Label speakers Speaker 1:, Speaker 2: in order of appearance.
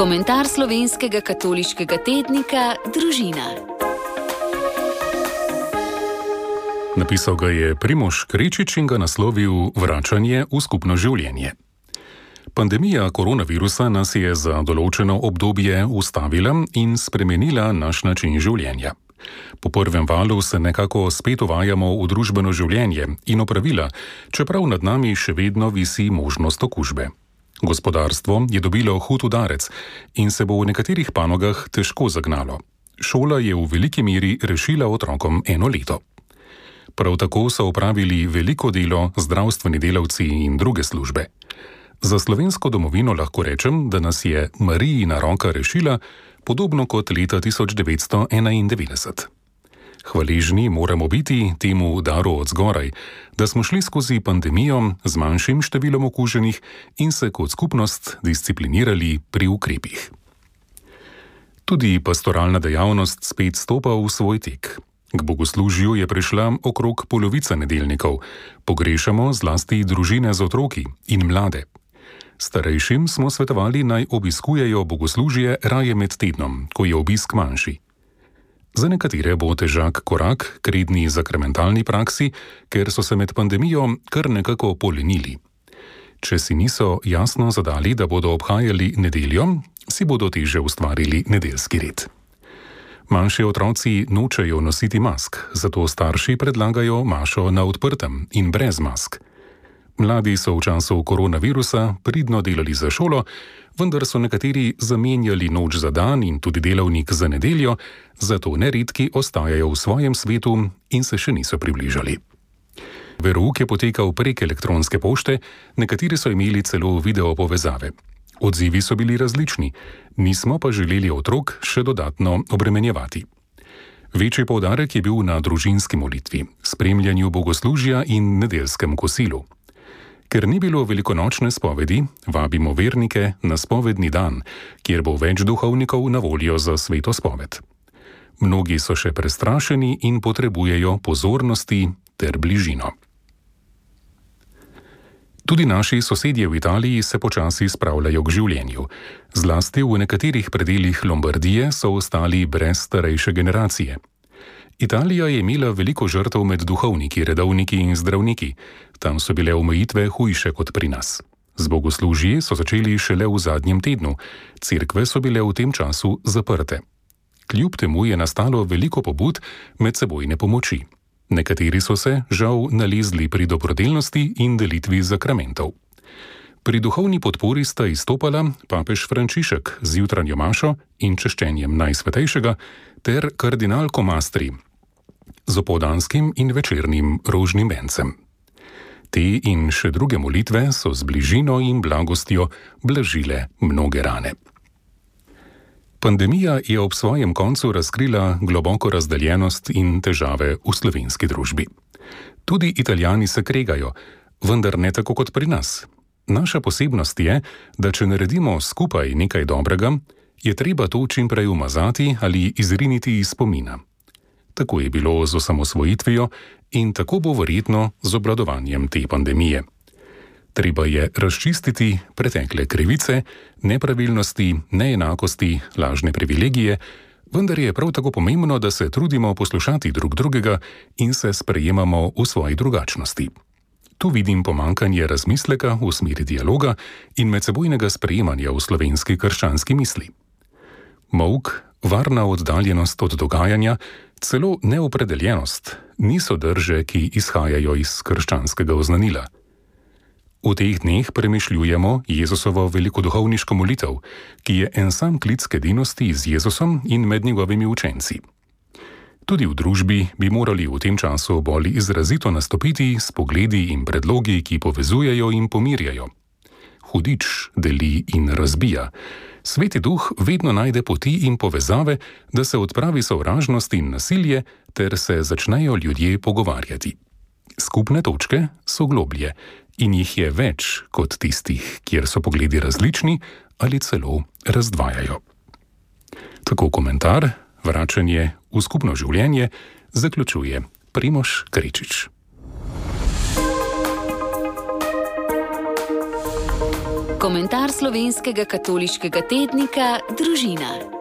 Speaker 1: Komentar slovenskega katoliškega tednika Družina.
Speaker 2: Napisal ga je Primož Krečič in ga naslovil Vračanje v skupno življenje. Pandemija koronavirusa nas je za določeno obdobje ustavila in spremenila naš način življenja. Po prvem valu se nekako spet uvajamo v družbeno življenje in opravila, čeprav nad nami še vedno visi možnost okužbe. Gospodarstvo je dobilo hud udarec in se bo v nekaterih panogah težko zagnalo. Šola je v veliki meri rešila otrokom 1 leto. Prav tako so opravili veliko delo zdravstveni delavci in druge službe. Za slovensko domovino lahko rečem, da nas je Marijina roka rešila, podobno kot leta 1991. Hvaležni moramo biti temu daru od zgoraj, da smo šli skozi pandemijo z manjšim številom okuženih in se kot skupnost disciplinirali pri ukrepih. Tudi pastoralna dejavnost spet stopa v svoj tek. K bogoslužju je prišla okrog polovica nedeljnikov. Pogrešamo zlasti družine z otroki in mlade. Starejšim smo svetovali, naj obiskujejo bogoslužje raje med tednom, ko je obisk manjši. Za nekatere bo težak korak k redni zakramentalni praksi, ker so se med pandemijo kar nekako polenili. Če si niso jasno zadali, da bodo obhajali nedeljo, si bodo teže ustvarili nedeljski red. Manjši otroci nočejo nositi mask, zato starši predlagajo mašo na odprtem in brez mask. Mladi so v času koronavirusa pridno delali za šolo, vendar so nekateri zamenjali noč za dan in tudi delavnik za nedeljo, zato neredki ostajajo v svojem svetu in se še niso približali. Verouk je potekal prek elektronske pošte, nekateri so imeli celo video povezave. Odzivi so bili različni, nismo pa želeli otrok še dodatno obremenjevati. Večji poudarek je bil na družinski molitvi, spremljanju bogoslužja in nedeljskem kosilu. Ker ni bilo velikonočne spovedi, vabimo vernike na spovedni dan, kjer bo več duhovnikov na voljo za sveto spoved. Mnogi so še prestrašeni in potrebujejo pozornosti ter bližino. Tudi naši sosedje v Italiji se počasi spravljajo k življenju. Zlasti v nekaterih predelih Lombardije so ostali brez starejše generacije. Italija je imela veliko žrtev med duhovniki, redovniki in zdravniki. Tam so bile omejitve hujše kot pri nas. Z bogoslužji so začeli šele v zadnjem tednu. Cerkve so bile v tem času zaprte. Kljub temu je nastalo veliko pobud medsebojne pomoči. Nekateri so se, žal, nalezli pri dobrodelnosti in delitvi zakramentov. Pri duhovni podpori sta izstopala papež Frančišek z jutranjo mašo in češčenjem Najsvetejšega ter kardinal Comastri z opoldanskim in večernim rožnim vencem. Te in še druge molitve so z bližino in blagostjo blažile mnoge rane. Pandemija je ob svojem koncu razkrila globoko razdeljenost in težave v slovenski družbi. Tudi Italijani se kregajo, vendar ne tako kot pri nas. Naša posebnost je, da če naredimo skupaj nekaj dobrega, je treba to čim prej umazati ali izriniti iz spomina. Tako je bilo z osamosvojitvijo in tako bo verjetno z obvladovanjem te pandemije. Treba je razčistiti pretekle krivice, nepravilnosti, neenakosti, lažne privilegije, vendar je prav tako pomembno, da se trudimo poslušati drug drugega in se sprejemamo v svoji drugačnosti. Tu vidim pomanjkanje razmisleka v smeri dialoga in medsebojnega sprejemanja v slovenski krščanski misli. Molk, varna oddaljenost od dogajanja, celo neopredeljenost niso drže, ki izhajajo iz krščanskega oznanila. V teh dneh premišljujemo Jezusovo velikoduhovniško molitev, ki je en sam klic k edinosti z Jezusom in med njegovimi učenci. Tudi v družbi bi morali v tem času bolj izrazito nastopiti s pogledi in predlogi, ki povezujejo in pomirjajo. Hudič deli in razbija. Sveti duh vedno najde poti in povezave, da se odpravi sovražnost in nasilje, ter se začnejo ljudje pogovarjati. Skupne točke so globlje in jih je več kot tistih, kjer so pogledi različni ali celo razdvajajo. Tako komentar, vračanje v skupno življenje, zaključuje Primož Krečič.
Speaker 1: Komentar slovenskega katoliškega tednika Družina.